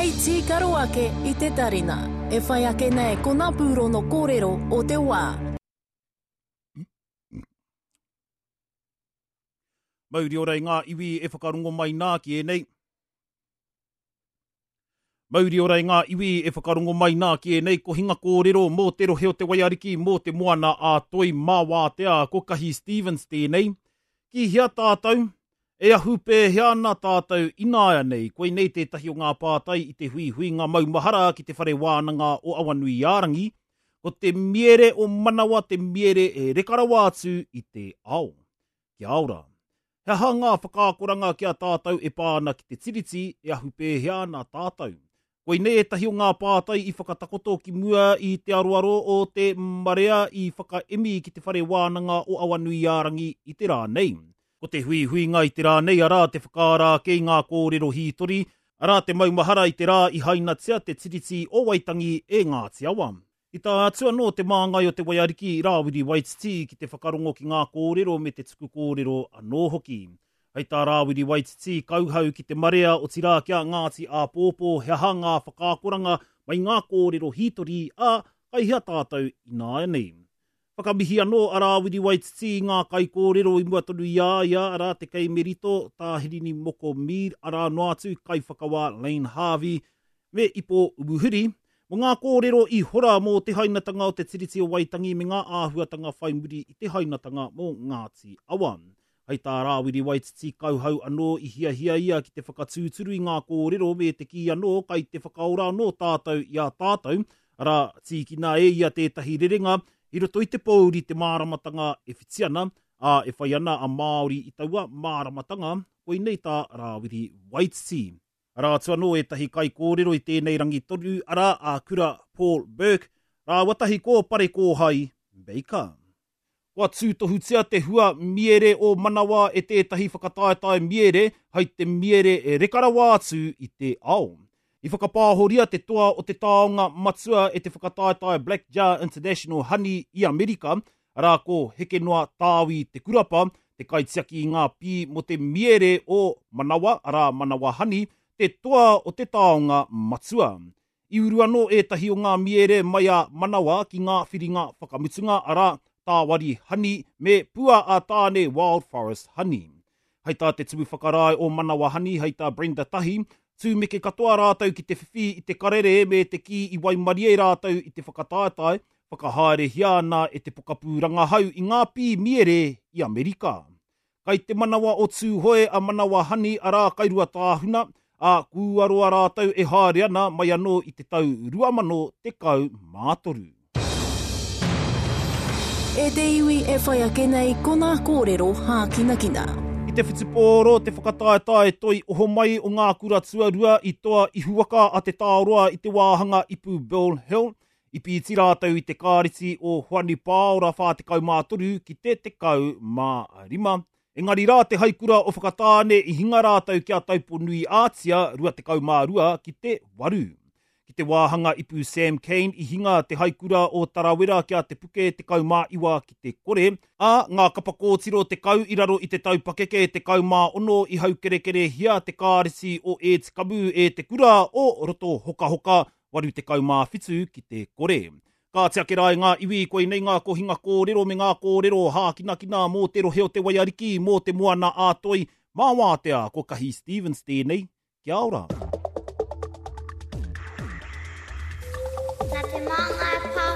Hei tīkaro ake i te tarina. E whai ake nei ko ngā pūrono kōrero o te wā. Mauri ora i ngā iwi e whakarongo mai nā ki ēnei. Mauri ora i ngā iwi e whakarongo mai nā ki ēnei kohinga kōrero mō te rohe o Te Waiariki, mō te Moana a Toi mā Wātea, ko Kahi Stevens tēnei. Ki hea tātou? E ahu pēhea ana tātou ināianei? Koinei tētahi o ngā pātai i te huihuinga maumahara ki Te Whare Wānanga o Awanuiārangi, ko te miere o Manawa te miere e reka rawa atu i te ao. Kia ora. He aha ngā whakaakoranga ki a tātou e pā ana ki te Tiriti, e ahu pēhea ana tātou? Koinei ētahi o ngā pātai i whakatakoto ki mua i te aroaro o te marea i whakaemi ki Te Whare Wānanga o Awanuiārangi i te rā nei. Ko te huihuinga i te rā nei arā te whakaara ake i ngā kōrero hītori, arā te maumahara i te rā i hainatia te Tiriti o Waitangi e Ngāti Awa. I tae atu anō te māngai o Te Waiariki, Rāwiri Waititi, ki te whakarongo ki ngā kōrero me te tuku kōrero anō hoki. Hei tā Rāwiri Waititi, kauhau ki te marea, otirā ki a Ngāti Āpōpō, he aha ngā whakaakoranga mai ngā kōrero hītori, ā, kai hea tātou ināianei? Whakamihi anō a Rāwiri Waititi i ngā kaikōrero i mua tonu i a ia, arā, Te Kei Merito, Tā Hirini Moko Mead, arā noa atu, Kaiwhakawā Layne Harvey, me Ipo Umuhuri, mō ngā kōrero i hora mō te hainatanga o te Tiriti o Waitangi me ngā āhuatanga whai muri i te hainatanga mō Ngāti Awa. Hei tā Rāwiri Waititi kauhau anō i hiahia ia ki te whakatūturu i ngā kōrero me te kī anō kai te whakaora anō tātou i a tātou, arā, tīkina e ia tētahi rerenga i roto i te pōuri te māramatanga e whiti ana, ā, e whai ana a Māori i taua māramatanga, koinei tā Rāwiri Waititi. Arā atu anō ētahi kaikōrero i tēnei rangi tonu, arā, a Kura Paul Burke rāua tahi ko Parekōhai Baker. Kua tūtohutia te hua miere o Manawa e tētahi whakataetae miere hai te miere e reka rawa atu i te ao. I whakapāhoria te toa o te taonga matua e te whakataetae Black Jar International Honey i Amerika, arā ko Hekenoa Tāwi Te Kurapa, te kaitiaki i ngā pī mō te miere o Manawa, arā Manawa Honey, te toa o te taonga matua. I uru anō ētahi o ngā miere mai a Manawa ki ngā whiringa whakamutunga, arā, Tāwari Honey me Pua a Tāne Wild Forest Honey. Hei tā te Tumu Whakarae o Manawa Honey, hei tā Brenda Tahi, tūmeke katoa rātou ki te whiwhi i te karere me te kī i waimarie rātou i te whakataetae, whakahaerehia ana e te pokapū rangahau i ngā pī miere i Amerika. Kai te manawa o Tūhoe a Manawa Hani arā kai Ruatāhuna, ā, kua roa rātou e haere ana mai anō i te tau 2013. E te iwi e whai ake nei ko ngā kōrero hākinakina. I te whutupōro te whakataetae toi ohomai o ngā kura tuarua i toa ihuwaka a Te Taoroa i te wāhanga ipu Bill Hill, I pīti rātou i te kāreti o Hoani Pāora 43 ki te 15. Engari rā te haikura o Whakatāne i hinga rātou ki a Taupo-nui-ā-Tia 22 ki te 8. Ki te wāhanga ipu Sam Cane i hinga te haikura o Tarawera ki a Te Puke 19 ki te kore, ā, ngā kapa kōtiro 10 i raro i te tau pakeke 16 i haukerekerehia te kāreti o Ētikamu e te kura o Roto Hokahoka 87 ki te kore. Kāti ake rā e ngā iwi, koinei ngā kohinga kōrero me ngā kōrero hākinakina mō te rohe o Te Waiariki, mō te Moana ā Toi, mā Wātea, ko Kahi Stevens tēnei, kia ora. Nā Te Māngai Pāho.